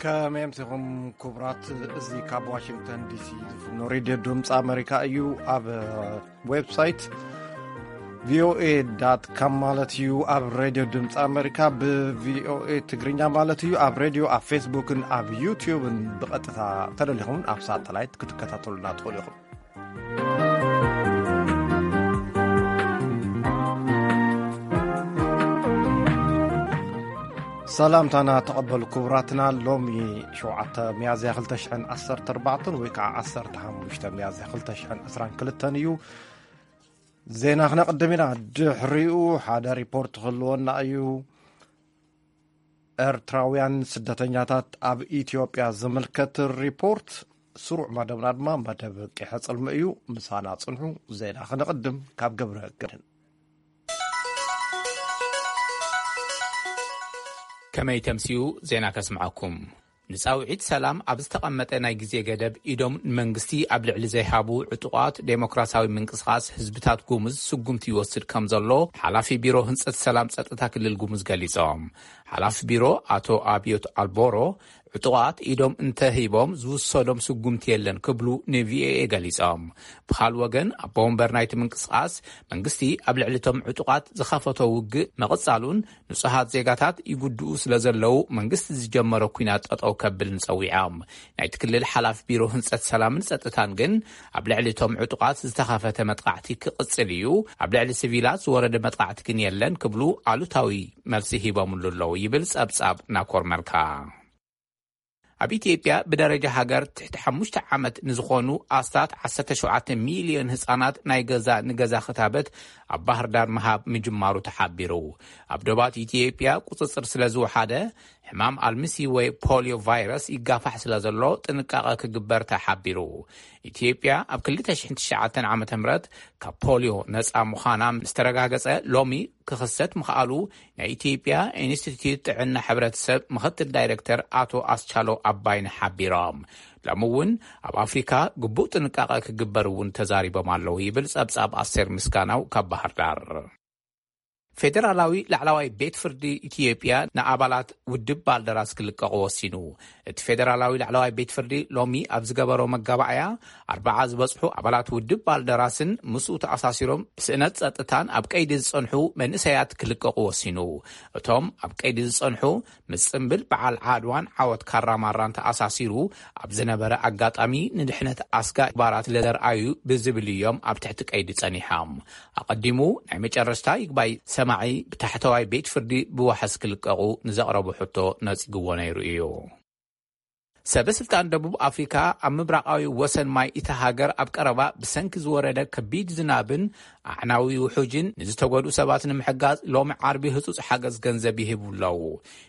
ከመይ ኣምሲኹም ክቡራት? እዚ ካብ ዋሽንግተን ዲሲ ዝፍኖ ሬድዮ ድምፂ ኣመሪካ እዩ። ኣብ ዌብሳይት ቪኦኤ ዳት ካም ማለት እዩ። ኣብ ሬድዮ ድምፂ ኣመሪካ ብቪኦኤ ትግርኛ ማለት እዩ። ኣብ ሬድዮ፣ ኣብ ፌስቡክን ኣብ ዩቲዩብን ብቐጥታ ተደሊኹም ኣብ ሳተላይት ክትከታተሉና ትኽእሉ ኢኹም። ሰላምታና ተቐበሉ ክቡራትና። ሎሚ ሸውዓተ ሚያዝያ ክልተ ሽሕን ዓሰርተ ኣርባዕተን ወይ ከዓ ዓሰርተ ሓሙሽተ ሚያዝያ ክልተ ሽሕን ዕስራን ክልተን እዩ። ዜና ክነቕድም ኢና። ድሕሪኡ ሓደ ሪፖርት ክህልወና እዩ። ኤርትራውያን ስደተኛታት ኣብ ኢትዮጵያ ዝምልከት ሪፖርት። ስሩዕ መደብና ድማ መደብ ቂሐ ጽልሚ እዩ። ምሳና ጽንሑ። ዜና ክነቕድም ካብ ገብረ ገድን። ከመይ ተምስዩ? ዜና ከስምዐኩም። ንጻውዒት ሰላም ኣብ ዝተቐመጠ ናይ ግዜ ገደብ ኢዶም ንመንግስቲ ኣብ ልዕሊ ዘይሃቡ ዕጡቓት ዴሞክራሲያዊ ምንቅስቓስ ህዝብታት ጉሙዝ ስጉምቲ ይወስድ ከም ዘሎ ሓላፊ ቢሮ ህንጸት ሰላም ጸጥታ ክልል ጉሙዝ ገሊጾም። ሓላፊ ቢሮ ኣቶ ኣብዮት ኣልቦሮ ዕጡቓት ኢዶም እንተሂቦም ዝውሰዶም ስጉምቲ የለን ክብሉ ንቪኦኤ ገሊጾም። ብኻል ወገን ኣቦ ወንበር ናይቲ ምንቅስቓስ መንግስቲ ኣብ ልዕሊ እቶም ዕጡቓት ዝኸፈቶ ውግእ መቕጻሉን ንጹሃት ዜጋታት ይጉድኡ ስለ ዘለዉ መንግስቲ ዝጀመሮ ኩናት ጠጠው ከብልን ጸዊዖም። ናይቲ ክልል ሓላፊ ቢሮ ህንጸት ሰላምን ጸጥታን ግን ኣብ ልዕሊ እቶም ዕጡቓት ዝተኸፈተ መጥቃዕቲ ክቕጽል እዩ፣ ኣብ ልዕሊ ሲቪላት ዝወረደ መጥቃዕቲ ግን የለን ክብሉ ኣሉታዊ መልሲ ሂቦምሉ ኣለዉ ይብል ጸብጻብ ናኮር መልካ። ኣብ ኢትዮጵያ ብደረጃ ሃገር ትሕቲ ሓሙሽተ ዓመት ንዝኾኑ ኣስታት ዓሰርተ ሸውዓተ ሚልዮን ህጻናት ናይ ገዛ ንገዛ ክታበት ኣብ ባህር ዳር ምሃብ ምጅማሩ ተሓቢሩ። ኣብ ዶባት ኢትዮጵያ ቁጽጽር ስለ ዝወሓደ ሕማም ኣልምሲ ወይ ፖሊዮ ቫይረስ ይጋፋሕ ስለ ዘሎ ጥንቃቐ ክግበር ተሓቢሩ። ኢትዮጵያ ኣብ ክልተ ሽሕን ትሽዓተን ዓመተ ምህረት ካብ ፖሊዮ ነጻ ምዃና ምስ ተረጋገጸ ሎሚ ክኽሰት ምኽኣሉ ናይ ኢትዮጵያ ኢንስቲትዩት ጥዕና ሕብረተሰብ ምኽትል ዳይሬክተር ኣቶ ኣስቻሎ ኣባይነ ሓቢሮም። ሎሚ እውን ኣብ ኣፍሪካ ግቡእ ጥንቃቐ ክግበር እውን ተዛሪቦም ኣለዉ ይብል ጸብጻብ ኣስቴር ምስጋናው ካብ ባህር ዳር። ፌደራላዊ ላዕለዋይ ቤት ፍርዲ ኢትዮጵያ ንኣባላት ውድብ ባልደራስ ክልቀቑ ወሲኑ። እቲ ፌደራላዊ ላዕለዋይ ቤት ፍርዲ ሎሚ ኣብ ዝገበሮ መጋባእያ ኣርባዓ ዝበጽሑ ኣባላት ውድብ ባልደራስን ምስኡ ተኣሳሲሮም ብስእነት ጸጥታን ኣብ ቀይዲ ዝጸንሑ መንእሰያት ክልቀቑ ወሲኑ። እቶም ኣብ ቀይዲ ዝጸንሑ ምስ ጽምብል በዓል ዓድዋን ዓወት ካራማራን ተኣሳሲሩ ኣብ ዝነበረ ኣጋጣሚ ንድሕነት ኣስጋ ባራት ለዘርኣዩ ብዝብል እዮም ኣብ ትሕቲ ቀይዲ ጸኒሖም። ኣቐዲሙ ናይ መጨረሽታ ይግባይ ሰማዒ ብታሕተዋይ ቤት ፍርዲ ብዋሕስ ክልቀቑ ንዘቕረቡ ሕቶ ነጺግዎ ነይሩ እዩ። ሰበ ስልጣን ደቡብ ኣፍሪካ ኣብ ምብራቓዊ ወሰን ማይ እታ ሃገር ኣብ ቀረባ ብሰንኪ ዝወረደ ከቢድ ዝናብን ኣዕናዊ ውሑጅን ንዝተጎድኡ ሰባት ንምሕጋዝ ሎሚ ዓርቢ ህጹጽ ሓገዝ ገንዘብ ይህቡ ኣለዉ።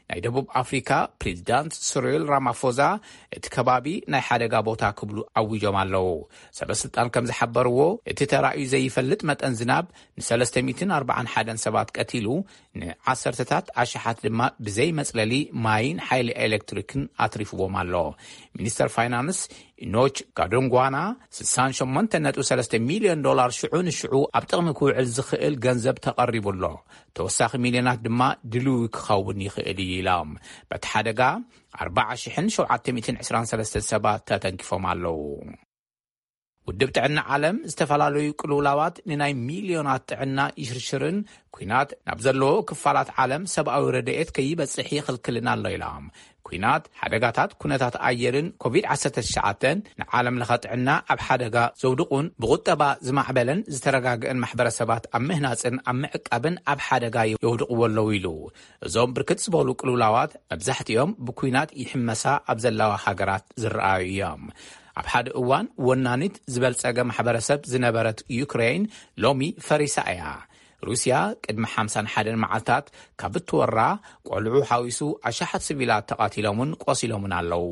ናይ ደቡብ ኣፍሪካ ፕሬዚዳንት ስሪል ራማፎዛ እቲ ከባቢ ናይ ሓደጋ ቦታ ክብሉ ኣዊጆም ኣለዉ። ሰበ ስልጣን ከም ዝሓበርዎ እቲ ተራእዩ ዘይፈልጥ መጠን ዝናብ ንሰለስተ ሚእትን ኣርባዓን ሓደን ሰባት ቀቲሉ ንዓሰርተታት ኣሽሓት ድማ ብዘይ መጽለሊ ማይን ሓይሊ ኤሌክትሪክን ኣትሪፍዎም ኣሎ። ሚኒስተር ፋይናንስ ኢኖች ጋዶንጓና ስሳን ሸሞንተ ነጥቢ ሰለስተ ሚልዮን ዶላር ሽዑ ንሽዑ ኣብ ጥቕሚ ክውዕል ዝኽእል ገንዘብ ተቐሪቡ ኣሎ። ተወሳኺ ሚልዮናት ድማ ድልዊ ክኸውን ይኽእል እዩ ኢሎም። በቲ ሓደጋ ኣርባዓ ሽሕን ሸውዓተ ሚእትን ዕስራን ሰለስተን ሰባት ተተንኪፎም ኣለዉ። ውድብ ጥዕና ዓለም ዝተፈላለዩ ቅልውላዋት ንናይ ሚልዮናት ጥዕና ይሽርሽርን ኩናት ናብ ዘለዎ ክፋላት ዓለም ሰብኣዊ ረድኤት ከይበጽሕ ይኽልክልን ኣሎ ኢሎም። ኩናት፣ ሓደጋታት ኩነታት ኣየርን ኮቪድ ዓሰርተ ትሽዓተ ንዓለም ለኸ ጥዕና ኣብ ሓደጋ ዘውድቑን ብቁጠባ ዝማዕበለን ዝተረጋግአን ማሕበረሰባት ኣብ ምህናጽን ኣብ ምዕቃብን ኣብ ሓደጋ የውድቕዎ ኣለዉ ኢሉ። እዞም ብርክት ዝበሉ ቅልውላዋት መብዛሕትኦም ብኩናት ይሕመሳ ኣብ ዘለዋ ሃገራት ዝረኣዩ እዮም። ኣብ ሓደ እዋን ወናኒት ዝበልጸገ ማሕበረሰብ ዝነበረት ዩክሬን ሎሚ ፈሪሳ እያ። ሩስያ ቅድሚ ሓምሳን ሓደን መዓልታት ካብ እትወራ ቆልዑ ሓዊሱ ኣሽሓት ሲቪላት ተቓቲሎምን ቆሲሎምን ኣለዉ።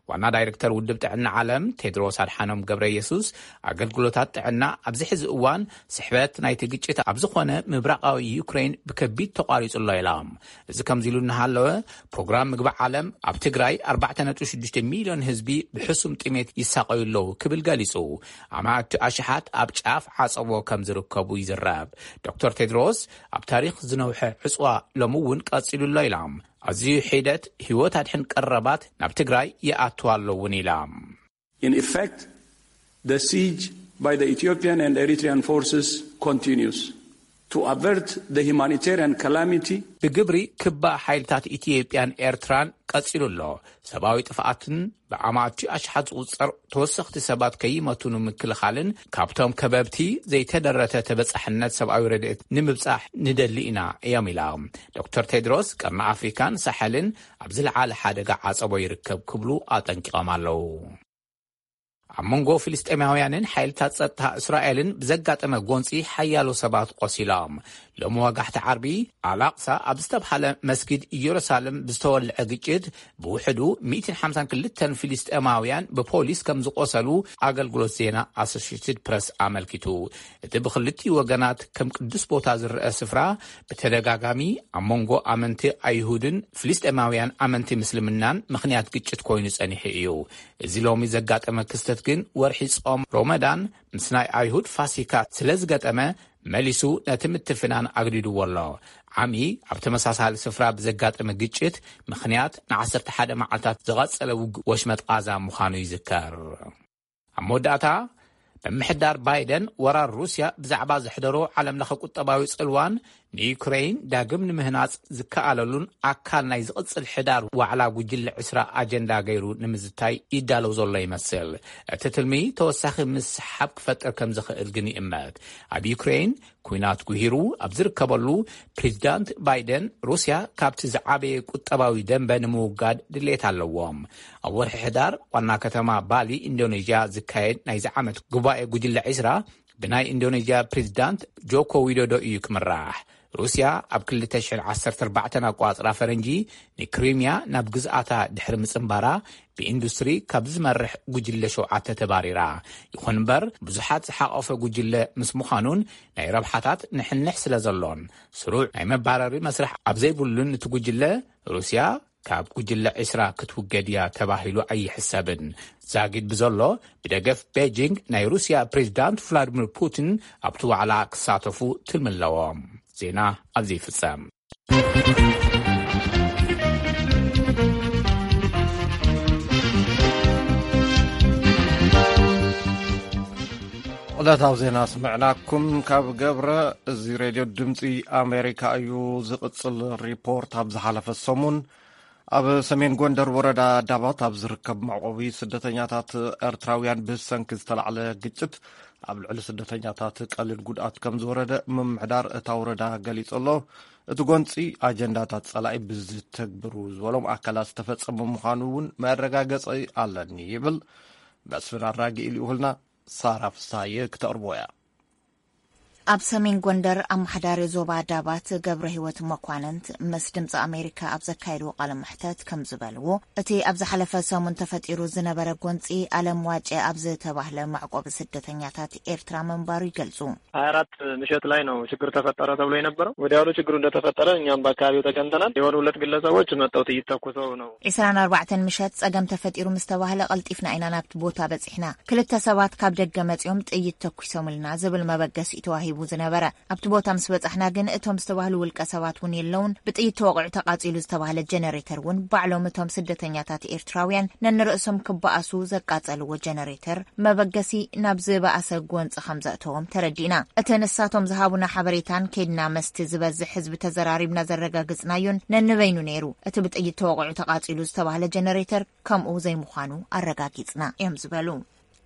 ዋና ዳይሬክተር ውድብ ጥዕና ዓለም ቴድሮስ ኣድሓኖም ገብረ የሱስ ኣገልግሎታት ጥዕና ኣብዚ ሕዚ እዋን ስሕበት ናይቲ ግጭት ኣብ ዝኾነ ምብራቓዊ ዩክሬን ብከቢድ ተቋሪጹ ኣሎ ኢሎም። እዚ ከምዚ ኢሉ እናሃለወ ፕሮግራም ምግቢ ዓለም ኣብ ትግራይ ኣርባዕተ ነጥቢ ሽዱሽተ ሚልዮን ህዝቢ ብሕሱም ጥሜት ይሳቐዩ ኣለዉ ክብል ገሊጹ። ኣማእቲ ኣሽሓት ኣብ ጫፍ ዓጸቦ ከም ዝርከቡ ይዝረብ። ዶክተር ቴድሮስ፣ ኣብ ታሪኽ ዝነውሐ ዕጽዋ ሎሚ እውን ቀጺሉ ኣሎ ኢላ። ኣዝዩ ሒደት ህይወት ኣድሕን ቀረባት ናብ ትግራይ ይኣትዋ ኣሎ እውን ኢላ። In effect, the siege by the Ethiopian and Eritrean forces continues. To avert the humanitarian calamity, ብግብሪ ክባእ ሓይልታት ኢትዮጵያን ኤርትራን ቀጺሉ ኣሎ። ሰብኣዊ ጥፍኣትን ብኣማእቲ ኣሽሓት ዝቑጸር ተወሰኽቲ ሰባት ከይመቱ ንምክልኻልን ካብቶም ከበብቲ ዘይተደረተ ተበጻሕነት ሰብኣዊ ረድኤት ንምብጻሕ ንደሊ ኢና እዮም ኢላ። ዶክተር ቴድሮስ፣ ቀርኒ ኣፍሪካን ሳሐልን ኣብ ዝለዓለ ሓደጋ ዓጸቦ ይርከብ ክብሉ ኣጠንቂቖም ኣለዉ። ኣብ መንጎ ፍልስጤማውያንን ሓይልታት ጸጥታ እስራኤልን ብዘጋጠመ ጎንጺ ሓያሎ ሰባት ቆሲሎም። ሎሚ ወጋሕቲ ዓርቢ፣ ኣላቕሳ ኣብ ዝተብሃለ መስጊድ ኢየሩሳሌም ብዝተወልዐ ግጭት ብውሕዱ ሚእትን ሓምሳን ክልተን ፍልስጤማውያን ብፖሊስ ከም ዝቆሰሉ ኣገልግሎት ዜና ኣሶሽየትድ ፕረስ ኣመልኪቱ። እቲ ብክልቲኡ ወገናት ከም ቅዱስ ቦታ ዝረአ ስፍራ ብተደጋጋሚ ኣብ መንጎ ኣመንቲ ኣይሁድን ፍልስጤማውያን ኣመንቲ ምስልምናን ምኽንያት ግጭት ኮይኑ ጸኒሑ እዩ። እዚ ሎሚ ዘጋጠመ ክስተት ግን ወርሒ ጾም ሮመዳን ምስ ናይ ኣይሁድ ፋሲካ ስለ ዝገጠመ መሊሱ ነቲ ምትፍናን ኣግዲድዎ ኣሎ። ዓሚ ኣብ ተመሳሳሊ ስፍራ ብዘጋጠመ ግጭት ምኽንያት ንዓሰርተ ሓደ መዓልታት ዝቐጸለ ውግእ ወሽመጥ ቓዛ ምዃኑ ይዝከር። ኣብ መወዳእታ፣ ምምሕዳር ባይደን ወራር ሩስያ ብዛዕባ ዘሕደሮ ዓለምለኸ ቁጠባዊ ጽልዋን ንዩክረይን ዳግም ንምህናጽ ዝከኣለሉን ኣካል ናይ ዝቕጽል ሕዳር ዋዕላ ጉጅለ ዕስራ ኣጀንዳ ገይሩ ንምዝታይ ይዳለው ዘሎ ይመስል። እቲ ትልሚ ተወሳኺ ምስሓብ ክፈጥር ከም ዝኽእል ግን ይእመት። ኣብ ዩክረይን ኲናት ጉሂሩ ኣብ ዝርከበሉ፣ ፕሬዚዳንት ባይደን ሩስያ ካብቲ ዝዓበየ ቁጠባዊ ደንበ ንምውጋድ ድሌት ኣለዎም። ኣብ ወርሒ ሕዳር ዋና ከተማ ባሊ ኢንዶኔዥያ ዝካየድ ናይዚ ዓመት ጉባኤ ጉጅለ ዕስራ ብናይ ኢንዶኔዥያ ፕሬዚዳንት ጆኮ ዊዶዶ እዩ ክምራሕ። ሩስያ ኣብ ክልተ ሽሕን ዓሰርተ ኣርባዕተን ኣቋጽራ ፈረንጂ ንክሪሚያ ናብ ግዝኣታ ድሕሪ ምጽንባራ ብኢንዱስትሪ ካብ ዝመርሕ ጉጅለ ሸውዓተ ተባሪራ። ይኹን እምበር ብዙሓት ዝሓቆፈ ጉጅለ ምስ ምዃኑን ናይ ረብሓታት ንሕንሕ ስለ ዘሎን ስሩዕ ናይ መባረሪ መስርሕ ኣብ ዘይብሉን እቲ ጉጅለ ሩስያ ካብ ጉጅለ ዕስራ ክትውገድ እያ ተባሂሉ ኣይሕሰብን። ዛጊድ ብዘሎ ብደገፍ ቤጂንግ ናይ ሩስያ ፕሬዚዳንት ቭላድሚር ፑቲን ኣብቲ ዋዕላ ክሳተፉ ትልሚ ኣለዎም። ዜና ኣብዚ ይፍጸም። ዕለታዊ ዜና ስምዕናኩም ካብ ገብረ። እዚ ሬድዮ ድምፂ ኣሜሪካ እዩ። ዝቕፅል ሪፖርት፣ ኣብ ዝሓለፈ ሰሙን ኣብ ሰሜን ጎንደር ወረዳ ዳባት ኣብ ዝርከብ መዕቆቢ ስደተኛታት ኤርትራውያን ብሰንኪ ዝተላዕለ ግጭት ኣብ ልዕሊ ስደተኛታት ቀሊል ጉድኣት ከም ዝወረደ ምምሕዳር እታ ወረዳ ገሊጹ ኣሎ። እቲ ጎንጺ ኣጀንዳታት ጸላኢ ብዝተግብሩ ዝበሎም ኣካላት ዝተፈጸመ ምዃኑ እውን መረጋገጺ ኣለኒ ይብል። መስፍን ኣራጊ ልኢኹልና ሳራ ፍስሃየ ክተቕርቦ እያ። ኣብ ሰሜን ጎንደር ኣመሓዳሪ ዞባ ዳባት ገብረ ህይወት መኳንንት ምስ ድምፂ ኣሜሪካ ኣብ ዘካየድዎ ቃለ መሕተት ከም ዝበልዎ፣ እቲ ኣብ ዝሓለፈ ሰሙን ተፈጢሩ ዝነበረ ጎንፂ ኣለም ዋጨ ኣብ ዝተባህለ መዕቆቢ ስደተኛታት ኤርትራ ምንባሩ ይገልጹ። ሀያ አራት ምሽት ላይ ነው ችግር ተፈጠረ ተብሎ የነበረው። ወዲያውኑ ችግሩ እንደተፈጠረ እኛም በአካባቢው ተገኝተናል። የሆኑ ሁለት ግለሰቦች መጥተው ጥይት ተኩሰው ነው። ዒስራን ኣርባዕተን ምሸት ጸገም ተፈጢሩ ምስ ተባህለ ቀልጢፍና ኢና ናብቲ ቦታ በጺሕና። ክልተ ሰባት ካብ ደገ መጺኦም ጥይት ተኩሶምልና ዝብል መበገሲ እዩ ተዋሂቡ ዝነበረ። ኣብቲ ቦታ ምስ በጻሕና ግን እቶም ዝተባህሉ ውልቀ ሰባት እውን የለውን። ብጥይት ተወቒዑ ተቓጺሉ ዝተባህለ ጀነሬተር እውን ባዕሎም እቶም ስደተኛታት ኤርትራውያን ነንርእሶም ክበኣሱ ዘቃጸልዎ ጀነሬተር መበገሲ ናብ ዝበኣሰ ጎንጺ ከም ዘእተዎም ተረዲእና። እቲ ንሳቶም ዝሃቡና ሓበሬታን ከይድና መስቲ ዝበዝሕ ህዝቢ ተዘራሪብና ዘረጋግጽናዮን ነንበይኑ ነይሩ። እቲ ብጥይት ተወቒዑ ተቓጺሉ ዝተባህለ ጀነሬተር ከምኡ ዘይምዃኑ ኣረጋጊጽና እዮም ዝበሉ።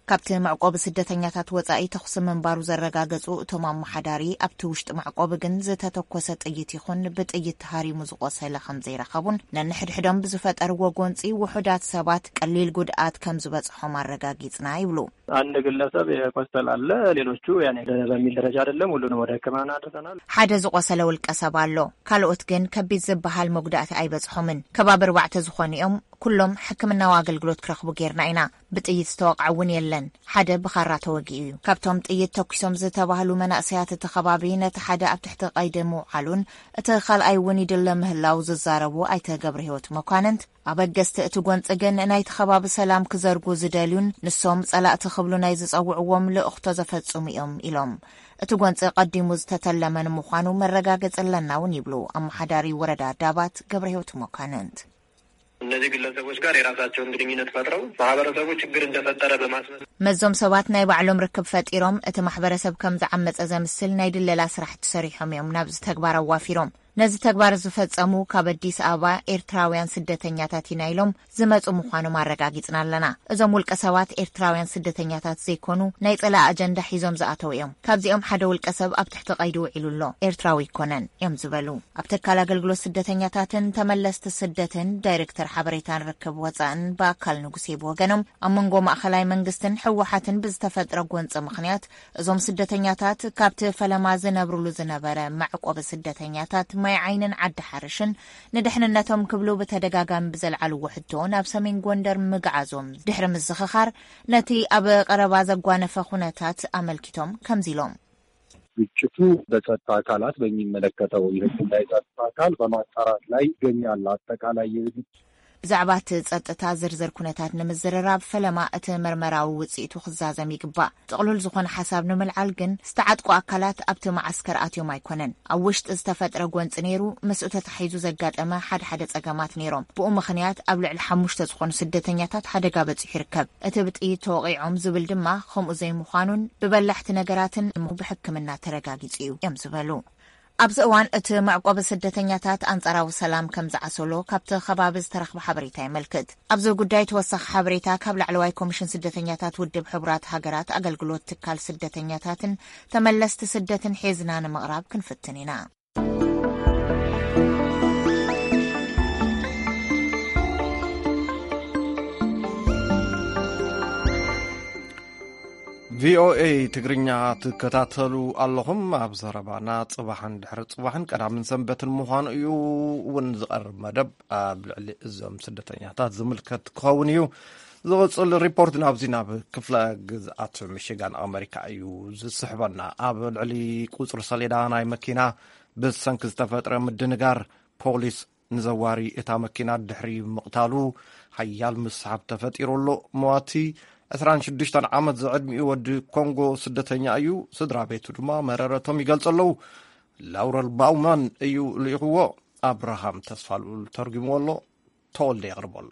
ካብቲ መዕቆቢ ስደተኛታት ወጻኢ ተኹሲ ምንባሩ ዘረጋገጹ እቶም ኣመሓዳሪ፣ ኣብቲ ውሽጢ መዕቆቢ ግን ዝተተኮሰ ጥይት ይኹን ብጥይት ተሃሪሙ ዝቆሰለ ከም ዘይረኸቡን ነንሕድሕዶም ብዝፈጠርዎ ጎንጺ ውሑዳት ሰባት ቀሊል ጉድኣት ከም ዝበጽሖም ኣረጋጊጽና ይብሉ። አንድ ግለሰብ የቆሰለ አለ። ሌሎቹ ያኔ በሚል ደረጃ አይደለም፣ ሁሉንም ወደ ሕክምና አድርሰናል። ሓደ ዝቆሰለ ውልቀ ሰብ ኣሎ። ካልኦት ግን ከቢድ ዝበሃል መጉዳእቲ ኣይበጽሖምን። ከባቢ ኣርባዕተ ዝኾኑ እዮም። ኩሎም ሕክምናዊ ኣገልግሎት ክረኽቡ ጌርና ኢና። ብጥይት ዝተወቕዐ እውን የለን። ሓደ ብኻራ ተወጊኡ እዩ። ካብቶም ጥይት ተኩሶም ዝተባህሉ መናእሰያት እቲ ከባቢ፣ ነቲ ሓደ ኣብ ትሕቲ ቀይዲ ምውዓሉን እቲ ካልኣይ እውን ይድለ ምህላው ዝዛረቡ ኣይተ ገብረ ህይወት መኳንንት፣ ኣበገስቲ እቲ ጎንፂ ግን ናይቲ ከባቢ ሰላም ክዘርጉ ዝደልዩን ንሶም ፀላእቲ ክብሉ ናይ ዝፀውዕዎም ልእኽቶ ዘፈፅሙ እዮም ኢሎም። እቲ ጎንፂ ቀዲሙ ዝተተለመ ንምዃኑ መረጋገፂ ኣለና እውን ይብሉ ኣመሓዳሪ ወረዳ ዳባት ገብረ ህይወት መኳንንት። እነዚህ ግለሰቦች ጋር የራሳቸውን ግንኙነት ፈጥረው ማህበረሰቡ ችግር እንደፈጠረ በማስመስ መዞም ሰባት ናይ ባዕሎም ርክብ ፈጢሮም እቲ ማሕበረሰብ ከም ዝዓመፀ ዘምስል ናይ ድለላ ስራሕቲ ሰሪሖም እዮም ናብዚ ተግባር ኣዋፊሮም። ነዚ ተግባር ዝፈጸሙ ካብ ኣዲስ ኣበባ ኤርትራውያን ስደተኛታት ኢና ኢሎም ዝመጹ ምዃኖም ኣረጋጊጽና ኣለና። እዞም ውልቀ ሰባት ኤርትራውያን ስደተኛታት ዘይኮኑ ናይ ጸላኢ ኣጀንዳ ሒዞም ዝኣተው እዮም። ካብዚኦም ሓደ ውልቀ ሰብ ኣብ ትሕቲ ቀይዲ ውዒሉ ኣሎ። ኤርትራዊ ኣይኮነን እዮም ዝበሉ ኣብ ትካል ኣገልግሎት ስደተኛታትን ተመለስቲ ስደትን ዳይሬክተር ሓበሬታን ርክብ ወጻእን ብኣካል ንጉሴ ብወገኖም ኣብ መንጎ ማእኸላይ መንግስትን ህወሓትን ብዝተፈጥረ ጎንፂ ምኽንያት እዞም ስደተኛታት ካብቲ ፈለማ ዝነብርሉ ዝነበረ መዕቆቢ ስደተኛታት ማይ ዓይንን ዓዲ ሓርሽን ንድሕንነቶም ክብሉ ብተደጋጋሚ ብዘልዓልዎ ሕቶ ናብ ሰሜን ጎንደር ምግዓዞም ድሕሪ ምዝኽኻር ነቲ ኣብ ቀረባ ዘጓነፈ ኩነታት ኣመልኪቶም ከምዚ ኢሎም። ግጭቱ በጸጥታ አካላት በሚመለከተው የህግ ላይ ጸጥታ አካል በማጣራት ላይ ይገኛል። አጠቃላይ የህግ ብዛዕባ እቲ ጸጥታ ዝርዝር ኩነታት ንምዝርራብ ፈለማ እቲ መርመራዊ ውጽኢቱ ክዛዘም ይግባእ። ጥቕሉል ዝኾነ ሓሳብ ንምልዓል ግን ዝተዓጥቁ ኣካላት ኣብቲ መዓስከር ኣትዮም ኣይኮነን። ኣብ ውሽጢ ዝተፈጥረ ጎንጺ ነይሩ። ምስኡ ተታሒዙ ዘጋጠመ ሓደ ሓደ ጸገማት ነይሮም። ብኡ ምኽንያት ኣብ ልዕሊ ሓሙሽተ ዝኾኑ ስደተኛታት ሓደጋ በጺሑ ይርከብ። እቲ ብጥይት ተወቒዖም ዝብል ድማ ከምኡ ዘይምዃኑን ብበላሕቲ ነገራትን ብሕክምና ተረጋጊጹ እዩ እዮም ዝበሉ። ኣብዚ እዋን እቲ መዕቆቢ ስደተኛታት ኣንጻራዊ ሰላም ከም ዝዓሰሎ ካብቲ ከባቢ ዝተረኽበ ሓበሬታ የመልክት። ኣብዚ ጉዳይ ተወሳኺ ሓበሬታ ካብ ላዕለዋይ ኮሚሽን ስደተኛታት ውድብ ሕቡራት ሃገራት ኣገልግሎት ትካል ስደተኛታትን ተመለስቲ ስደትን ሒዝና ንምቕራብ ክንፍትን ኢና። ቪኦኤ ትግርኛ ትከታተሉ ኣለኹም። ኣብ ዘረባና ጽባሕን ድሕሪ ጽባሕን ቀዳምን ሰንበትን ምዃኑ እዩ እውን ዝቐርብ መደብ ኣብ ልዕሊ እዞም ስደተኛታት ዝምልከት ክኸውን እዩ። ዝቕጽል ሪፖርት ናብዚ ናብ ክፍለ ግዝኣት ሚሽጋን ኣመሪካ እዩ ዝስሕበና። ኣብ ልዕሊ ቁጽሪ ሰሌዳ ናይ መኪና ብሰንኪ ዝተፈጥረ ምድንጋር ፖሊስ ንዘዋሪ እታ መኪና ድሕሪ ምቕታሉ ሓያል ምስሓብ ተፈጢሩ ኣሎ። መዋቲ ዕስራን ሽዱሽተን ዓመት ዝዕድሚኡ ወዲ ኮንጎ ስደተኛ እዩ። ስድራ ቤቱ ድማ መረረቶም ይገልጹ ኣለዉ። ላውረል ባውማን እዩ ልኢኽዎ። ኣብርሃም ተስፋልኡል ተርጉምዎ ኣሎ። ተወልደ የቕርቦ ኣሎ።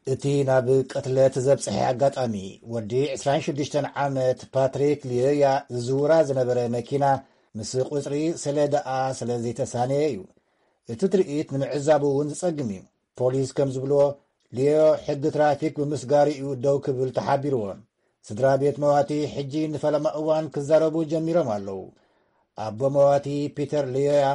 እቲ ናብ ቅትለት ዘብጽሐ ኣጋጣሚ ወዲ ዕስራን ሽዱሽተን ዓመት ፓትሪክ ሊዮያ ዝዝውራ ዝነበረ መኪና ምስ ቁጽሪ ሰሌዳኣ ስለ ዘይተሳነየ እዩ። እቲ ትርኢት ንምዕዛቡ እውን ዝጸግም እዩ። ፖሊስ ከም ዝብልዎ፣ ሊዮ ሕጊ ትራፊክ ብምስጋሩ እዩ ደው ክብል ተሓቢርዎ። ስድራ ቤት መዋቲ ሕጂ ንፈለማ እዋን ክዛረቡ ጀሚሮም ኣለዉ። ኣቦ መዋቲ ፒተር ሊዮያ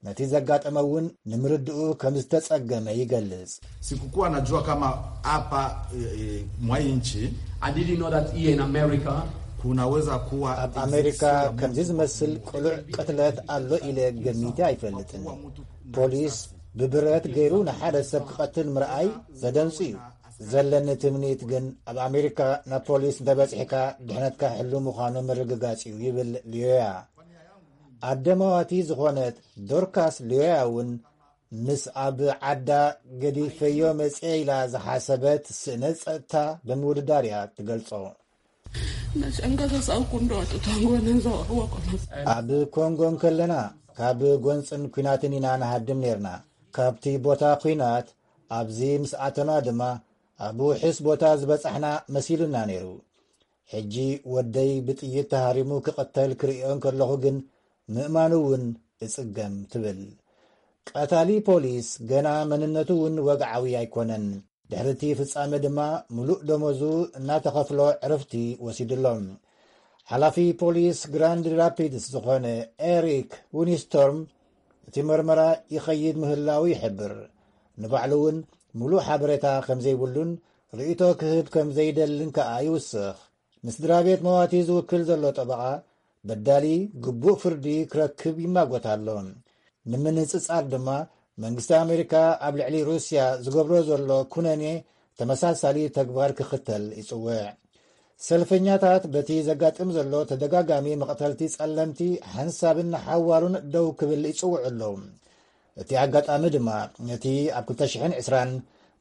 ነቲ ዘጋጠመ እውን ንምርድኡ ከም ዝተጸገመ ይገልጽ። Sikukuwa najua kama hapa e, e, mwa hii nchi I didn't know that here in America kunaweza kuwa ኣብ ኣሜሪካ ከምዚ ዝመስል ቅሉዕ ቅትለት ኣሎ ኢለ ገሚተ ኣይፈልጥን። ፖሊስ ብብረት ገይሩ ንሓደ ሰብ ክቐትል ምርኣይ ዘደንጹ እዩ። ዘለኒ ትምኒት ግን ኣብ ኣሜሪካ ናብ ፖሊስ እንተበጺሕካ ድሕነትካ ሕሉ ምዃኑ ምርግጋጽ እዩ ይብል ሊዮያ። ኣደ መዋቲ ዝኾነት ዶርካስ ሊዮያ እውን ምስ ኣብ ዓዳ ገዲፈዮ መጽየ ኢላ ዝሓሰበት ስእነት ጸጥታ ብምውድዳር እያ ትገልጾ። Nashangaza sana kuondoa watoto wangu wanaweza wako ኣብ ኮንጎ እንከለና ካብ ጎንጽን ኲናትን ኢና ንሃድም ነርና። ካብቲ ቦታ ኲናት ኣብዚ ምስ ኣተና ድማ ኣብ ውሕስ ቦታ ዝበጻሕና መሲሉና ነይሩ። ሕጂ ወደይ ብጥይት ተሃሪሙ ክቕተል ክርእዮ እንከለኹ ግን ምእማኑ እውን እጽገም ትብል። ቀታሊ ፖሊስ ገና መንነቱ እውን ወግዓዊ ኣይኮነን። ድሕሪ እቲ ፍጻመ ድማ ምሉእ ደሞዙ እናተኸፍሎ ዕርፍቲ ወሲዱሎም። ሓላፊ ፖሊስ ግራንድ ራፒድስ ዝኾነ ኤሪክ ዊኒስቶርም እቲ መርመራ ይኸይድ ምህላው ይሕብር። ንባዕሉ እውን ምሉእ ሓበሬታ ከም ዘይብሉን ርእይቶ ክህብ ከም ዘይደልን ከኣ ይውስኽ። ንስድራ ቤት መዋቲ ዝውክል ዘሎ ጠበቓ በዳሊ ግቡእ ፍርዲ ክረክብ ይማጎት ኣሎ። ንምንጽጻር ድማ መንግስቲ ኣሜሪካ ኣብ ልዕሊ ሩስያ ዝገብሮ ዘሎ ኩነኔ ተመሳሳሊ ተግባር ክኽተል ይጽውዕ። ሰልፈኛታት በቲ ዘጋጥም ዘሎ ተደጋጋሚ መቕተልቲ ጸለምቲ ሓንሳብን ንሓዋሩን ደው ክብል ይጽውዑ ኣለዉ። እቲ ኣጋጣሚ ድማ ነቲ ኣብ ክልተ ሽሕን ዕስራን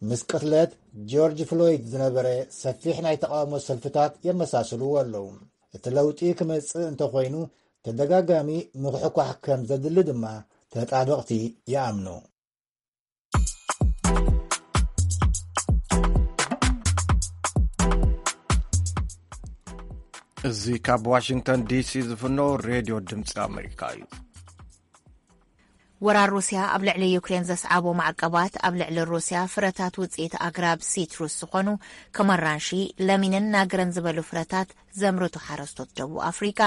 ምስ ቅትለት ጆርጅ ፍሎይድ ዝነበረ ሰፊሕ ናይ ተቓውሞ ሰልፍታት የመሳስልዎ ኣለዉ። እቲ ለውጢ ክመጽእ እንተኾይኑ፣ ተደጋጋሚ ምኽሕኳሕ ከም ዘድሊ ድማ ተጣበቕቲ ይኣምኑ። እዚ ካብ ዋሽንግተን ዲሲ ዝፍኖ ሬድዮ ድምፂ ኣሜሪካ እዩ። ወራር ሩስያ ኣብ ልዕሊ ዩክሬን ዘስዓቦ ማዕቀባት፣ ኣብ ልዕሊ ሩስያ ፍረታት ውፅኢት ኣግራብ ሲትሩስ ዝኾኑ ከም ኣራንሺ፣ ለሚንን ናግረን ዝበሉ ፍረታት ዘምርቱ ሓረስቶት ደቡብ ኣፍሪቃ፣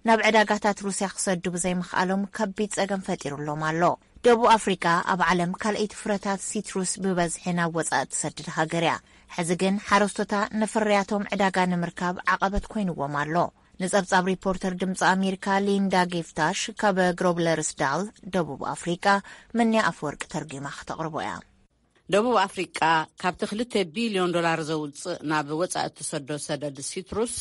ናብ ዕዳጋታት ሩስያ ክሰዱ ብዘይምኽኣሎም ከቢድ ጸገም ፈጢሩሎም ኣሎ። ደቡብ ኣፍሪቃ ኣብ ዓለም ካልኣይቲ ፍረታት ሲትሩስ ብበዝሒ ናብ ወጻኢ ትሰድድ ሃገር እያ። ሕዚ ግን ሓረስቶታ ንፍርያቶም ዕዳጋ ንምርካብ ዓቐበት ኮይንዎም ኣሎ። ንጸብጻብ ሪፖርተር ድምፂ ኣሜሪካ ሊንዳ ጊፍታሽ ካብ ግሮብለርስ ዳል፣ ደቡብ ኣፍሪቃ፣ ምንያ ኣፈወርቂ ተርጒማ ክተቕርቦ እያ። ደቡብ ኣፍሪቃ ካብቲ ክልተ ቢልዮን ዶላር ዘውፅእ ናብ ወፃኢ እትሰዶ ሰደድ ሲትሩስ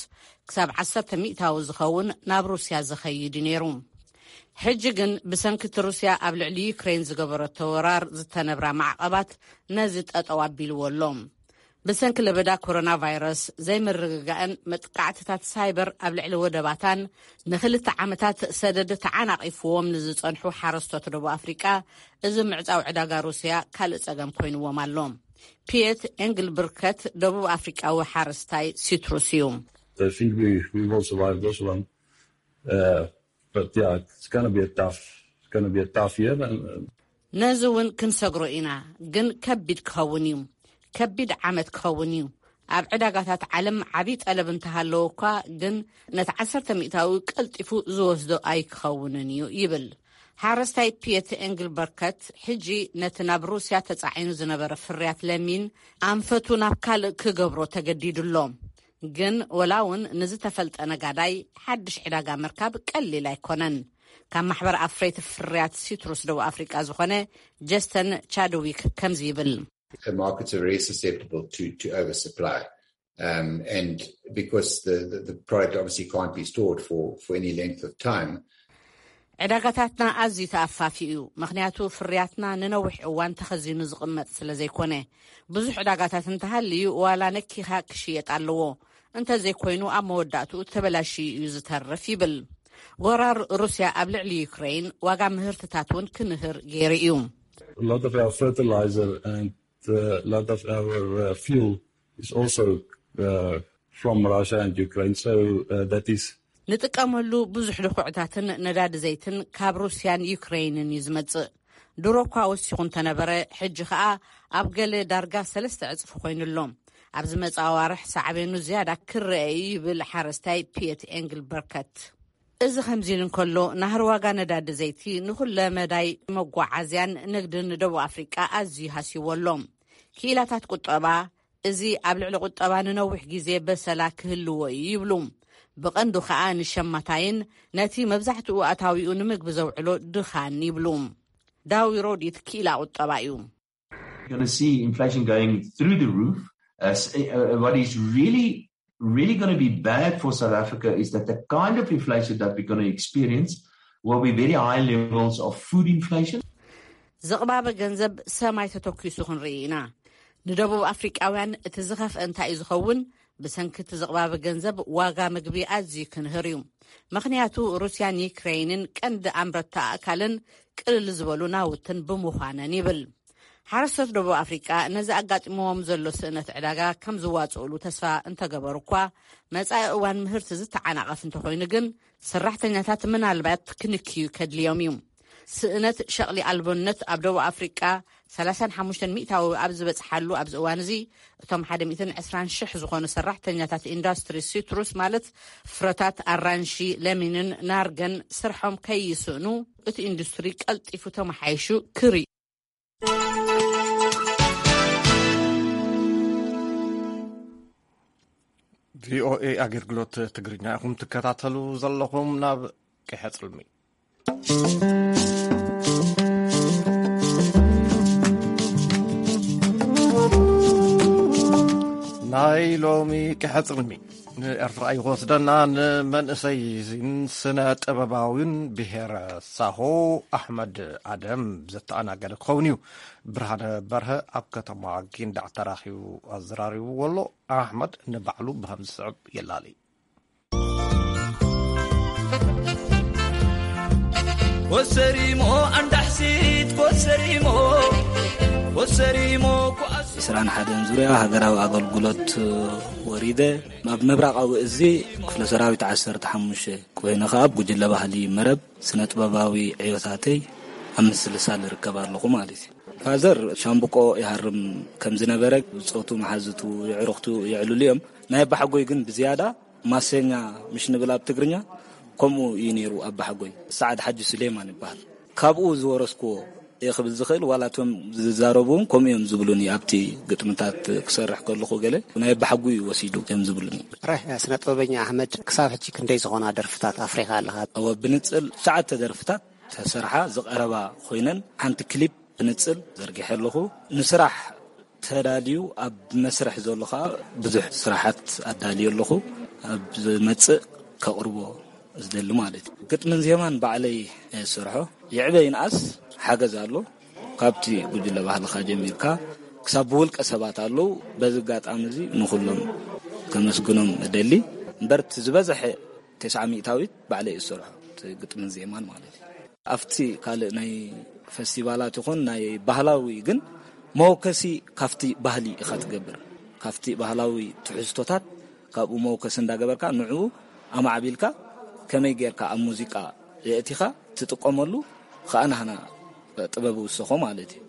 ክሳብ ዓሰርተ ሚእታዊ ዝኸውን ናብ ሩስያ ዝኸይድ እዩ ነይሩ። ሕጂ ግን ብሰንኪ እቲ ሩስያ ኣብ ልዕሊ ዩክሬን ዝገበረቶ ወራር ዝተነብራ ማዕቐባት ነዚ ጠጠው ኣቢልዎ ኣሎ። ብሰንኪ ለበዳ ኮሮና ቫይረስ ዘይምርግጋእን መጥቃዕትታት ሳይበር ኣብ ልዕሊ ወደባታን ንክልተ ዓመታት ሰደድ ተዓናቒፍዎም ንዝጸንሑ ሓረስቶት ደቡብ ኣፍሪቃ፣ እዚ ምዕጻው ዕዳጋ ሩስያ ካልእ ጸገም ኮይንዎም ኣሎ። ፒየት ኤንግልብርከት ደቡብ ኣፍሪቃዊ ሓረስታይ ሲትሩስ እዩ። I think we, we will survive this one. Uh, but yeah, it's gonna be a tough, it's gonna be a tough year. And, uh, ነዚ እውን ክንሰግሮ ኢና፣ ግን ከቢድ ክኸውን እዩ። ከቢድ ዓመት ክኸውን እዩ። ኣብ ዕዳጋታት ዓለም ዓብዪ ጠለብ እንተሃለዎ እኳ፣ ግን ነቲ ዓሰርተ ሚእታዊ ቀልጢፉ ዝወስዶ ኣይክኸውንን እዩ ይብል ሓረስታይ ፒየት ኤንግልበርከት። ሕጂ ነቲ ናብ ሩስያ ተጻዒኑ ዝነበረ ፍርያት ለሚን ኣንፈቱ ናብ ካልእ ክገብሮ ተገዲዱ ኣሎ። ግን ወላ እውን ንዝተፈልጠ ነጋዳይ ሓድሽ ዕዳጋ ምርካብ ቀሊል ኣይኮነን። ካብ ማሕበር ኣፍረይቲ ፍርያት ሲትሩስ ደቡብ ኣፍሪቃ ዝኾነ ጀስተን ቻድዊክ ከምዚ ይብል። The markets are very susceptible to, to oversupply. Um, and because the, the, the product obviously can't be stored for, for any length of time, ዕዳጋታትና ኣዝዩ ተኣፋፊ እዩ፣ ምኽንያቱ ፍርያትና ንነዊሕ እዋን ተኸዚኑ ዝቕመጥ ስለ ዘይኮነ። ብዙሕ ዕዳጋታት እንተሃልዩ፣ ዋላ ነኪኻ ክሽየጥ ኣለዎ፣ እንተዘይኮይኑ ኣብ መወዳእትኡ ተበላሽዩ እዩ ዝተርፍ ይብል። ወራር ሩስያ ኣብ ልዕሊ ዩክሬን ዋጋ ምህርትታት እውን ክንህር ገይሩ እዩ። A lot of our fertilizer and uh, a lot of our uh, fuel is also uh, from Russia and Ukraine. So uh, that is ንጥቀመሉ ብዙሕ ድኹዕታትን ነዳዲ ዘይትን ካብ ሩስያን ዩክሬንን እዩ ዝመጽእ። ድሮ እኳ ወሲኹ እንተነበረ፣ ሕጂ ኸኣ ኣብ ገለ ዳርጋ ሰለስተ ዕጽፊ ኮይኑ ኣሎ። ኣብ ዝመጽእ ኣዋርሕ ሳዕቤኑ ዝያዳ ክረአ እዩ ይብል ሓረስታይ ፒየት ኤንግልበርከት። እዚ ከምዚ ኢሉ እንከሎ፣ ናህሪ ዋጋ ነዳዲ ዘይቲ ንኹለ መዳይ መጓዓዝያን ንግድን ደቡብ ኣፍሪቃ ኣዝዩ ሃስይዎ ኣሎ። ክኢላታት ቁጠባ፣ እዚ ኣብ ልዕሊ ቁጠባ ንነዊሕ ግዜ በሰላ ክህልዎ እዩ ይብሉ። ብቐንዱ ኸኣ ንሸማታይን ነቲ መብዛሕትኡ ኣታዊኡ ንምግቢ ዘውዕሎ ድኻን ይብሉ። ዳዊ ሮዲት ክኢላ ቁጠባ እዩ። You're going to see inflation going through the roof. Uh, s- uh, what is really, really going to be bad for South Africa is that the kind of inflation that we're going to experience will be very high levels of food inflation. ዝቕባበ ገንዘብ ሰማይ ተተኪሱ ክንርኢ ኢና። ንደቡብ ኣፍሪቃውያን እቲ ዝኸፍአ እንታይ እዩ ዝኸውን? ብሰንኪ እቲ ዝቕባበ ገንዘብ ዋጋ ምግቢ ኣዝዩ ክንህር እዩ። ምኽንያቱ ሩስያን ዩክሬይንን ቀንዲ ኣምረትቲ ኣእካልን ቅልል ዝበሉ ናውትን ብምዃነን ይብል። ሓረስቶት ደቡብ ኣፍሪቃ ነዚ ኣጋጢምዎም ዘሎ ስእነት ዕዳጋ ከም ዝዋጽኡሉ ተስፋ እንተገበሩ እኳ፣ መጻኢ እዋን ምህርቲ ዝተዓናቐፍ እንተኾይኑ ግን ሰራሕተኛታት ምናልባት ክንክዩ ከድልዮም እዩ። ስእነት ሸቕሊ ኣልቦነት ኣብ ደቡብ ኣፍሪቃ ሰላሳን ሓሙሽተን ሚእታዊ ኣብ ዝበጽሓሉ ኣብዚ እዋን እዚ፣ እቶም ሓደ ሚእትን ዕስራን ሽሕ ዝኾኑ ሰራሕተኛታት ኢንዱስትሪ ሲትሩስ ማለት ፍረታት ኣራንሺ፣ ለሚንን ናርገን ስርሖም ከይስእኑ እቲ ኢንዱስትሪ ቀልጢፉ ተመሓይሹ ክርኢ። ቪኦኤ ኣገልግሎት ትግርኛ ኢኹም ትከታተሉ ዘለኹም። ናብ ቀሐ ጽልሚ ናይ ሎሚ ክሕጽርሚ ንኤርትራ ይወስደና። ንመንእሰይን ስነ ጥበባዊን ብሄረ ሳሆ ኣሕመድ ኣደም ዘተኣናገደ ክኸውን እዩ። ብርሃነ በርሀ ኣብ ከተማ ጊንዳዕ ተራኺቡ ኣዘራሪቡ ኣሎ። ኣሕመድ ንባዕሉ ብኸም ዝስዕብ የላሊ። ኮሰሪሞ ኣንዳሕሲት ኮሰሪሞ ኮሰሪሞ ኩኣስ ዕስራን ሓደን ዙርያ ሃገራዊ ኣገልግሎት ወሪደ። ኣብ ምብራቓዊ እዚ ክፍለ ሰራዊት ዓሰርተ ሓሙሽተ ኮይነ ከኣ ኣብ ጉጅለ ባህሊ መረብ ስነ ጥበባዊ ዕዮታተይ ኣብ ምስልሳል እርከብ ኣለኹ ማለት እዩ። ፋዘር ሻምብቆ ይሃርም ከም ዝነበረ ብጾቱ መሓዝቱ የዕሩኽቱ የዕልሉ እዮም። ናይ ኣባሓጎይ ግን ብዝያዳ ማሰኛ ምሽ ንብል ኣብ ትግርኛ ከምኡ እዩ ነይሩ ኣባሓጎይ። ሰዓድ ሓጂ ሱሌማን ይበሃል። ካብኡ ዝወረስኩዎ እየ ክብል ዝኽእል። ዋላ እቶም ዝዛረቡ እውን ከምኡ እዮም ዝብሉኒ። ኣብቲ ግጥምታት ክሰርሕ ከለኹ ገለ ናይ ኣባሓጉ እዩ ወሲዱ እዮም ዝብሉኒ። ራህ ስነ ጥበበኛ ኣሕመድ፣ ክሳብ ሕጂ ክንደይ ዝኾና ደርፍታት ኣፍሪኻ ኣለኻ? እወ፣ ብንጽል ትሽዓተ ደርፍታት ተሰርሓ ዝቐረባ ኮይነን ሓንቲ ክሊፕ ብንጽል ዘርጊሐ ኣለኹ። ንስራሕ ተዳልዩ ኣብ መስርሕ ዘሎ ኸኣ ብዙሕ ስራሓት ኣዳልዩ ኣለኹ። ኣብ ዝመጽእ ከቕርቦ ዝደሊ ማለት እዩ። ግጥምን ዜማን ባዕለይ እየ ዝሰርሖ። ይዕበ ይንኣስ ሓገዝ ኣሎ። ካብቲ ጉጅለ ባህልኻ ጀሚርካ ክሳብ ብውልቀ ሰባት ኣለዉ። በዚ ኣጋጣሚ እዚ ንኹሎም ከመስግኖም እደሊ። እምበር እቲ ዝበዝሐ ተስዓ ሚእታዊት ባዕለይ እየ ዝሰርሖ፣ እቲ ግጥምን ዜማን ማለት እዩ። ኣብቲ ካልእ ናይ ፈስቲቫላት ይኹን ናይ ባህላዊ ግን መወከሲ ካብቲ ባህሊ ኢኻ ትገብር። ካብቲ ባህላዊ ትሕዝቶታት ካብኡ መወከሲ እንዳገበርካ ንዕኡ ኣማዕቢልካ ከመይ ጌርካ ኣብ ሙዚቃ የእቲኻ ትጥቀመሉ ከኣ ናህና ጥበብ ይውሰኾ ማለት እዩ።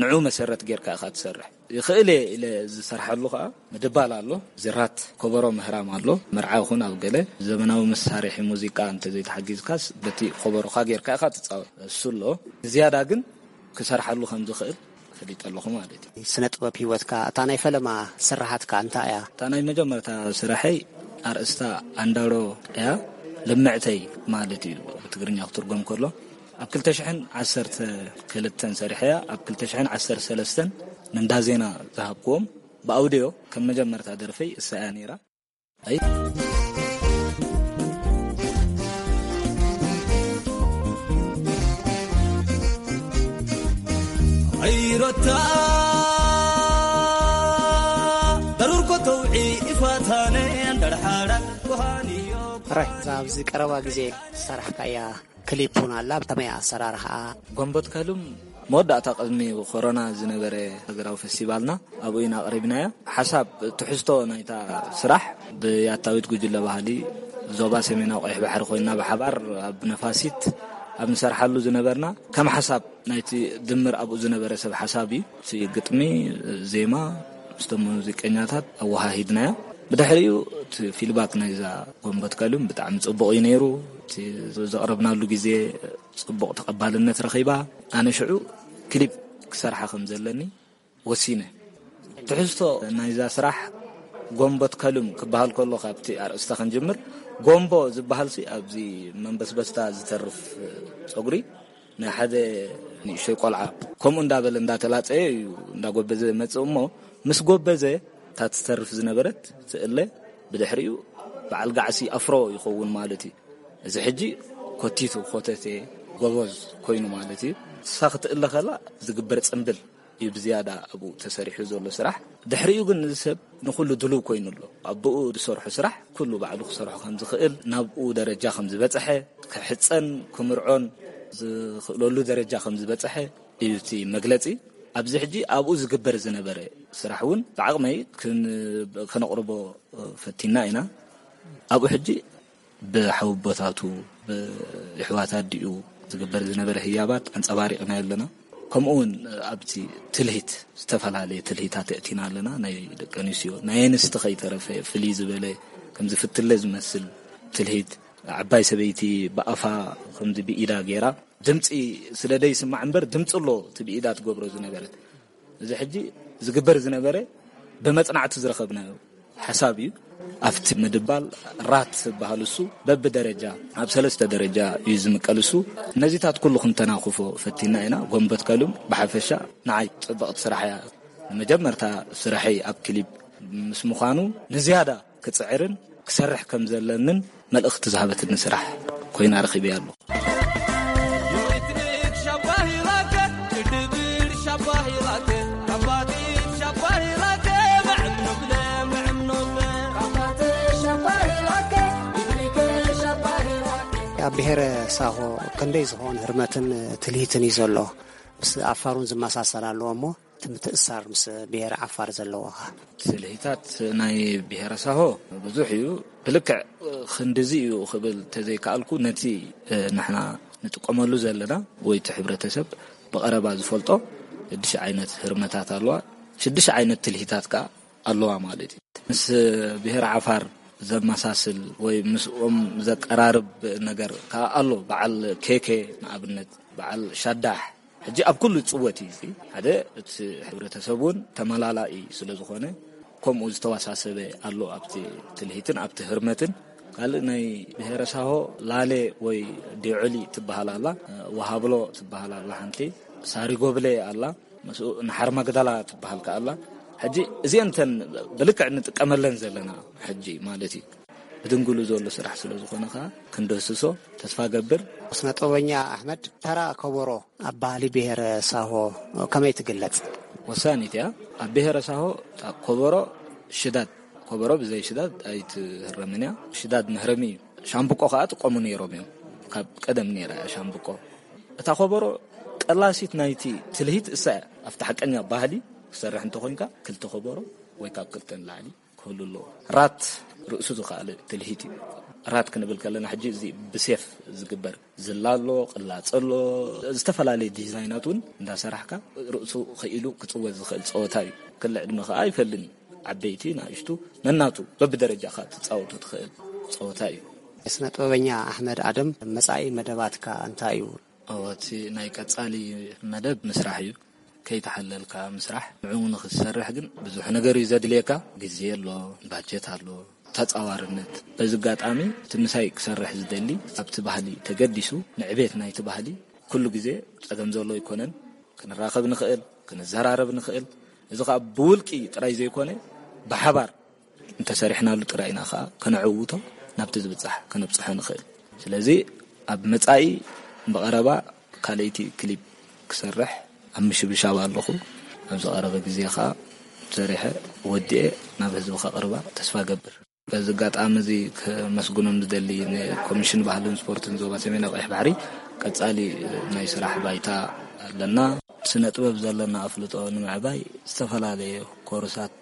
ንዑ መሰረት ጌርካ ኢኻ ትሰርሕ። ይኽእል እየ ኢለ ዝሰርሓሉ ከኣ ምድባል ኣሎ። ዝራት ኮበሮ ምህራም ኣሎ። መርዓ ይኹን ኣብ ገለ ዘመናዊ መሳርሒ ሙዚቃ እንተዘይተሓጊዝካስ በቲ ኮበሮኻ ጌርካ ኢኻ ትጻወት። እሱ ኣሎ። ዝያዳ ግን ክሰርሓሉ ከም ዝኽእል ፈሊጠ ኣለኹ ማለት እዩ። ስነ ጥበብ ህይወትካ፣ እታ ናይ ፈለማ ስራሓትካ እንታይ እያ? እታ ናይ መጀመርታ ስራሐይ ኣርእስታ ኣንዳሮ እያ። ልምዕተይ ማለት እዩ ብትግርኛ ክትርጎም ከሎ። ኣብ ክልተ ሽሕን ዓሰርተ ክልተን ሰሪሐያ። ኣብ ክልተ ሽሕን ዓሰርተ ሰለስተን ንእንዳ ዜና ዝሃብክዎም ብኣውድዮ ከም መጀመርታ ደርፈይ እሳ እያ ነይራ። ኣይ ኣይሮታ ضرور كتوعي إفاتاني أندر حالك كهانيو ራይ እዛ ኣብዚ ቀረባ ግዜ ዝሰራሕካያ ክሊፕ እውን ኣላ። ብከመይ ኣሰራርሓኣ? ጎንቦት ከሉም መወዳእታ ቅድሚ ኮሮና ዝነበረ ሃገራዊ ፈስቲቫልና ኣብኡ ኢና ኣቕሪብናዮ። ሓሳብ ትሕዝቶ ናይታ ስራሕ ብያታዊት ጉጅለ ባህሊ ዞባ ሰሜናዊ ቀይሕ ባሕሪ ኮይንና ብሓባር ኣብ ነፋሲት ኣብ ንሰርሓሉ ዝነበርና ከም ሓሳብ ናይቲ ድምር ኣብኡ ዝነበረ ሰብ ሓሳብ እዩ። እቲ ግጥሚ፣ ዜማ ምስቶም ሙዚቀኛታት ኣወሃሂድናዮ። ብድሕሪኡ እቲ ፊድባክ ናይዛ ጎንቦት ከሉም ብጣዕሚ ጽቡቕ እዩ ነይሩ። እቲ ዘቕረብናሉ ግዜ ጽቡቕ ተቐባልነት ረኺባ። ኣነ ሽዑ ክሊፕ ክሰርሓ ከም ዘለኒ ወሲነ። ትሕዝቶ ናይዛ ስራሕ ጎንቦት ከሉም ክበሃል ከሎ ካብቲ ኣርእስታ ክንጅምር፣ ጎንቦ ዝበሃል ሲ ኣብዚ መንበስበስታ ዝተርፍ ጸጉሪ ናይ ሓደ ንእሽተይ ቆልዓ ከምኡ እንዳበለ እንዳተላጸየ እዩ እንዳጎበዘ መጽእ እሞ ምስ ጎበዘ እታ ትተርፍ ዝነበረት ትእለ ብድሕሪኡ በዓል ጋዕሲ ኣፍሮ ይኸውን ማለት እዩ። እዚ ሕጂ ኮቲቱ ኮተቴ ጎበዝ ኮይኑ ማለት እዩ። እሳ ክትእለ ከላ ዝግበር ጽምብል እዩ ብዝያዳ ኣብኡ ተሰሪሑ ዘሎ ስራሕ። ድሕሪኡ ግን እዚ ሰብ ንኹሉ ድሉው ኮይኑ ኣሎ። ኣብኡ ዝሰርሖ ስራሕ ኩሉ ባዕሉ ክሰርሖ ከም ዝኽእል፣ ናብኡ ደረጃ ከም ዝበጽሐ፣ ክሕጸን ክምርዖን ዝኽእለሉ ደረጃ ከም ዝበጽሐ እዩ እቲ መግለጺ። ኣብዚ ሕጂ ኣብኡ ዝግበር ዝነበረ ስራሕ እውን ብዓቕመይ ክን-፣ ከነቕርቦ ፈቲና ኢና። ኣብኡ ሕጂ ብሓውቦታቱ ብኣሕዋት ኣዲኡ ዝግበር ዝነበረ ህያባት ኣንጸባሪቕና ኣለና። ከምኡ እውን ኣብቲ ትልሂት ዝተፈላለየ ትልሂታት የእቲና ኣለና። ናይ ደቂ ኣንስትዮ ናይ ኣንስቲ ከይተረፈ ፍልይ ዝበለ ከምዚ ፍትለ ዝመስል ትልሂት፣ ዓባይ ሰበይቲ ብኣፋ ከምዚ ብኢዳ ገይራ ድምፂ ስለ ደይስማዕ እምበር ድምፂ ኣሎ እቲ ብኢዳ ትገብሮ ዝነበረት። እዚ ሕጂ ዝግበር ዝነበረ ብመጽናዕቲ ዝረኸብናዮ ሓሳብ እዩ። ኣብቲ ምድባል ራት ዝበሃል እሱ በብደረጃ ኣብ ሰለስተ ደረጃ እዩ ዝምቀል። እሱ ነዚታት ኩሉ ክንተናኽፎ ፈቲና ኢና። ጎንበት ከሉም ብሓፈሻ ንዓይ ጽብቕቲ ስራሕ እያ። ንመጀመርታ ስራሐይ ኣብ ክሊፕ ምስ ምዃኑ፣ ንዝያዳ ክጽዕርን ክሰርሕ ከም ዘለንን መልእኽቲ ዝሃበትኒ ስራሕ ኮይና ረኺበያ ኣለኹ። ኣብ ብሔረ ሳሆ ክንደይ ዝኾን ህርመትን ትልሂትን እዩ ዘሎ? ምስ ኣፋሩን ዝመሳሰል ኣለዎ እሞ፣ እቲ ምትእሳር ምስ ብሔር ዓፋር ዘለዎ ኸ? ትልሂታት ናይ ብሔረ ሳሆ ብዙሕ እዩ። ብልክዕ ክንድዚ እዩ ክብል ተዘይከኣልኩ፣ ነቲ፣ እ፣ ንሕና ንጥቀመሉ ዘለና ወይ እቲ ሕብረተሰብ ብቐረባ ዝፈልጦ ሽዱሽተ ዓይነት ህርመታት ኣለዋ። ሽዱሽተ ዓይነት ትልሂታት ከኣ ኣለዋ ማለት እዩ። ምስ ብሔር ዓፋር ዘመሳስል ወይ ምስኦም ዘቀራርብ ነገር ከኣ ኣሎ። በዓል ኬኬ ንኣብነት፣ በዓል ሻዳሕ፣ ሕጂ ኣብ ኩሉ ይጽወት እዩ። እዚ ሓደ፣ እቲ ሕብረተሰብ እውን ተመላላኢ ስለ ዝኾነ፣ ከምኡ ዝተዋሳሰበ ኣሎ ኣብቲ ትልሂትን ኣብቲ ህርመትን። ካልእ ናይ ብሔረ ሳሆ ላሌ ወይ ዲዖሊ ትበሃል ኣላ፣ ወሃብሎ ትበሃል ኣላ ሓንቲ፣ ሳሪጎብሌ ኣላ፣ ምስኡ ንሓርማግዳላ ትበሃል ከኣ ኣላ። ሕጂ እዚአን እተን ብልክዕ ንጥቀመለን ዘለና ሕጂ ማለት እዩ። ብድንግሉ ዘሎ ስራሕ ስለ ዝኾነ ከኣ ክንድህስሶ ተስፋ ገብር። ስነ ጥበበኛ ኣሕመድ፣ ተራ ከበሮ ኣብ ባህሊ ብሔረ ሳሆ ከመይ ትግለጽ? ወሳኒት እያ። ኣብ ብሔረ ሳሆ እታ ከበሮ ሽዳድ፣ ከበሮ ብዘይ ሽዳድ ኣይትህረምን እያ። ሽዳድ መህረሚ እዩ። ሻምብቆ ከኣ ጥቀሙ ነይሮም እዮም። ካብ ቀደም ነይራ እያ ሻምብቆ። እታ ከበሮ ቀላሲት ናይቲ ትልሂት እሳ እያ። ኣብቲ ሓቀኛ ባህሊ ክሰርሕ እንተኾይንካ ክልተ ከበሮ ወይ ካብ ክልተ ንላዕሊ ክህሉ ኣለዎ። ራት ርእሱ ዝኸኣለ ትልሂት እዩ። ራት ክንብል ከለና ሕጂ እዚ ብሴፍ ዝግበር ዝላ ኣሎ፣ ቅላጽ ኣሎ፣ ዝተፈላለየ ዲዛይናት እውን እንዳሰራሕካ ርእሱ ኽኢሉ ክጽወት ዝኽእል ጸወታ እዩ። ክሊ ዕድመ ከኣ ኣይፈልን እዩ። ዓበይቲ፣ ንኣሽቱ፣ ነናቱ በብደረጃኻ ትጻወቶ ትኽእል ጸወታ እዩ። ስነ ጥበበኛ ኣሕመድ ኣደም፣ መጻኢ መደባትካ እንታይ እዩ? እወ፣ እቲ ናይ ቀጻሊ መደብ ምስራሕ እዩ። ከይተሓለልካ ምስራሕ። ንዕኡ ንኽትሰርሕ ግን ብዙሕ ነገር እዩ ዘድልየካ። ግዜ ኣሎ፣ ባጀት ኣሎ፣ ተጻዋርነት። በዚ ኣጋጣሚ እቲ ምሳይ ክሰርሕ ዝደሊ፣ ኣብቲ ባህሊ ተገዲሱ፣ ንዕቤት ናይቲ ባህሊ ኩሉ ግዜ ጸገም ዘሎ ኣይኮነን። ክንራኸብ ንኽእል፣ ክንዘራረብ ንኽእል። እዚ ኸኣ ብውልቂ ጥራይ ዘይኮነ፣ ብሓባር እንተሰሪሕናሉ ጥራይ ኢና ኸኣ ከነዕውቶ፣ ናብቲ ዝብጻሕ ከነብጽሖ ንኽእል። ስለዚ ኣብ መጻኢ ብቐረባ ካልኣይቲ ክሊፕ ክሰርሕ ኣብ ምሽብሻብ ኣለኹ። ኣብ ዝቐረበ ግዜ ኸኣ ሰሪሐ ወዲኤ ናብ ህዝቢ ከቕርባ ተስፋ ገብር። በዚ ኣጋጣሚ እዚ ከመስግኖም ዝደሊ ንኮሚሽን ባህልን ስፖርትን ዞባ ሰሜናዊ ቀይሕ ባሕሪ ቀጻሊ ናይ ስራሕ ባይታ ኣለና። ስነ ጥበብ ዘለና ኣፍልጦ ንምዕባይ ዝተፈላለየ ኮርሳት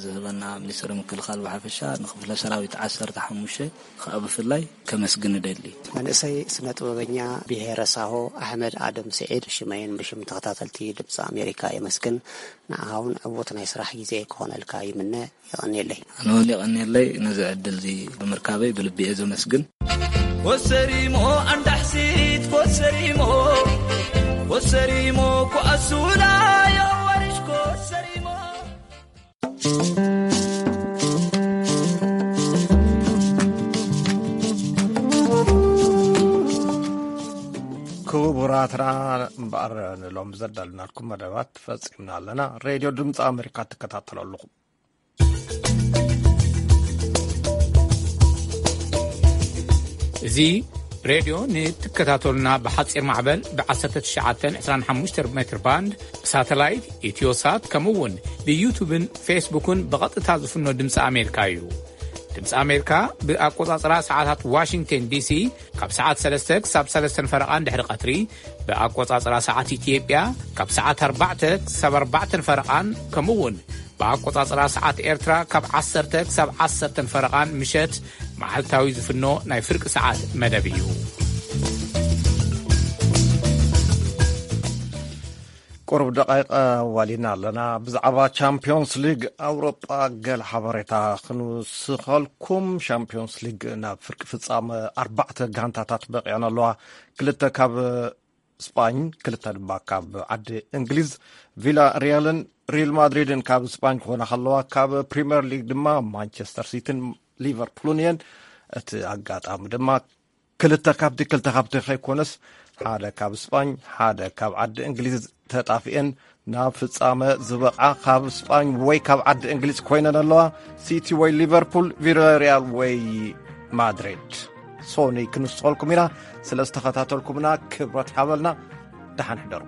ዝህበና ሚኒስትሪ ምክልኻል ብሓፈሻ፣ ንክፍለ ሰራዊት ዓሰርተ ሓሙሽተ ከኣ ብፍላይ ከመስግን እደሊ። መንእሰይ ስነ ጥበበኛ ብሄረ ሳሆ ኣሕመድ ኣደም ስዒድ፣ ሽመይን ብሽም ተኸታተልቲ ድምፂ ኣሜሪካ የመስግን። ንዓኻ እውን ዕዉት ናይ ስራሕ ግዜ ክኾነልካ ይምነ። የቐንየለይ። ኣነ እውን የቐንየለይ ነዚ ዕድል እዚ ብምርካበይ ብልቢ እየ ዘመስግን። ኮሰሪሞ ኣንዳሕሲት ኮሰሪሞ፣ ኮሰሪሞ ኩኣሱላ የዋርሽ ኮሰሪሞ። ክቡራትና እምበኣር ንሎም ዘዳልናልኩም መደባት ፈጺምና ኣለና። ሬድዮ ድምፂ ኣሜሪካ ትከታተሉ ኣለኹም። እዚ ሬድዮ ንትከታተሉና ብሓጺር ማዕበል ብ1925 ሜትር ባንድ፣ ብሳተላይት፣ ኢትዮሳት፣ ከምኡ እውን ብዩቱብን ፌስቡክን ብቐጥታ ዝፍኖ ድምፂ ኣሜሪካ እዩ። ድምፂ ኣሜሪካ ብኣቆጻጽራ ሰዓታት ዋሽንግተን ዲሲ ካብ ሰዓት ሰለስተ ክሳብ ሰለስተን ፈረቓን ድሕሪ ቀትሪ፣ ብኣቆጻጽራ ሰዓት ኢትዮጵያ ካብ ሰዓት ኣርባዕተ ክሳብ ኣርባዕተን ፈረቓን፣ ከምኡ እውን ብኣቆጻጽራ ሰዓት ኤርትራ ካብ ዓሰርተ ክሳብ ዓሰርተን ፈረቓን ምሸት መዓልታዊ ዝፍኖ ናይ ፍርቂ ሰዓት መደብ እዩ። ቁሩብ ደቃይቀ ዋሊና ኣለና። ብዛዕባ ቻምፒዮንስ ሊግ ኣውሮጳ ገለ ሓበሬታ ክንውስኸልኩም። ቻምፒዮንስ ሊግ ናብ ፍርቂ ፍጻመ ኣርባዕተ ጋንታታት በቂዐን ኣለዋ። ክልተ ካብ ስጳኝ፣ ክልተ ድማ ካብ ዓዲ እንግሊዝ። ቪላ ሪያልን ሪል ማድሪድን ካብ ስጳኝ ክኾና ከለዋ፣ ካብ ፕሪምየር ሊግ ድማ ማንቸስተር ሲቲን ሊቨርፑልን እየን። እቲ ኣጋጣሚ ድማ ክልተ ካብቲ ክልተ ካብቲ ከይኮነስ ሓደ ካብ ስጳኝ ሓደ ካብ ዓዲ እንግሊዝ ተጣፊኤን ናብ ፍጻመ ዝበቕዓ ካብ ስጳኝ ወይ ካብ ዓዲ እንግሊዝ ኮይነን ኣለዋ። ሲቲ ወይ ሊቨርፑል፣ ቪላሪያል ወይ ማድሪድ። ሶኒ ክንስቆልኩም ኢና። ስለ ዝተኸታተልኩምና ክብረት ሓበልና። ደሓን ሕደሩ።